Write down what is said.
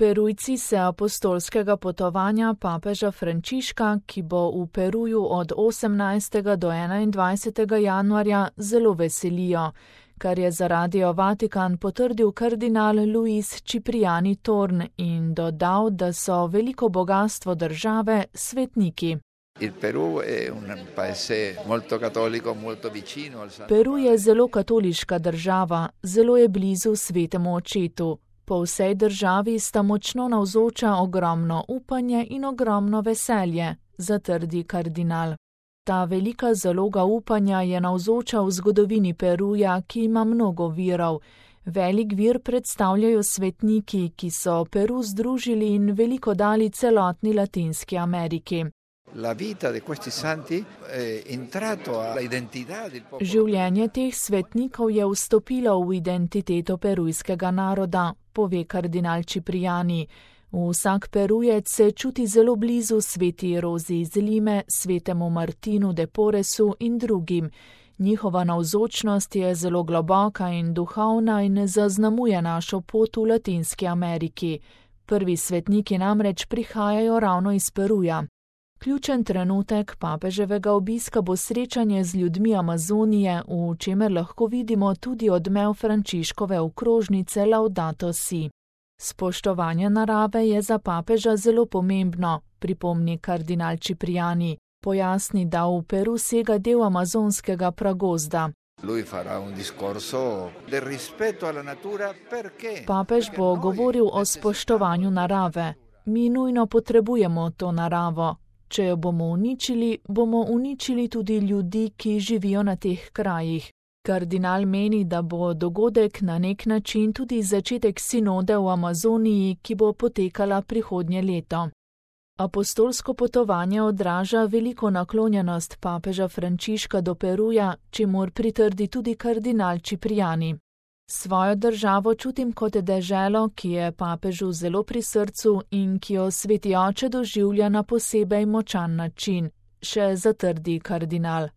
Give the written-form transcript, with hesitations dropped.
Perujci se apostolskega potovanja papeža Frančiška, ki bo v Peruju od 18. do 21. januarja, zelo veselijo, kar je za Radio Vatikan potrdil kardinal Luis Cipriani Torn in dodal, da so veliko bogastvo države svetniki. Peru je zelo katoliška država, zelo je blizu svetemu očetu. Po vsej državi sta močno navzoča ogromno upanje in ogromno veselje, zatrdi kardinal. Ta velika zaloga upanja je navzoča v zgodovini Peruja, ki ima mnogo virov. Velik vir predstavljajo svetniki, ki so Peru združili in veliko dali celotni Latinski Ameriki. Življenje teh svetnikov je vstopilo v identiteto perujskega naroda, pove kardinal Cipriani. Vsak Perujec se čuti zelo blizu sveti Rozi iz Lime, svetemu Martinu de Porresu in drugim. Njihova navzočnost je zelo globoka in duhovna in zaznamuje našo pot v Latinski Ameriki. Prvi svetniki namreč prihajajo ravno iz Peruja. Ključen trenutek papeževega obiska bo srečanje z ljudmi Amazonije, v čemer lahko vidimo tudi odmev Frančiškove okrožnice Laudato Si. Spoštovanje narave je za papeža zelo pomembno, pripomni kardinal Cipriani. Pojasni, da v Peru sega del amazonskega pragozda. Papež bo govoril o spoštovanju narave. Mi nujno potrebujemo to naravo. Če jo bomo uničili tudi ljudi, ki živijo na teh krajih. Kardinal meni, da bo dogodek na nek način tudi začetek sinode v Amazoniji, ki bo potekala prihodnje leto. Apostolsko potovanje odraža veliko naklonjenost papeža Frančiška do Peruja, čemur pritrdi tudi kardinal Cipriani. Svojo državo čutim kot deželo, ki je papežu zelo pri srcu in ki jo sveti oče doživlja na posebej močan način, še zatrdi kardinal.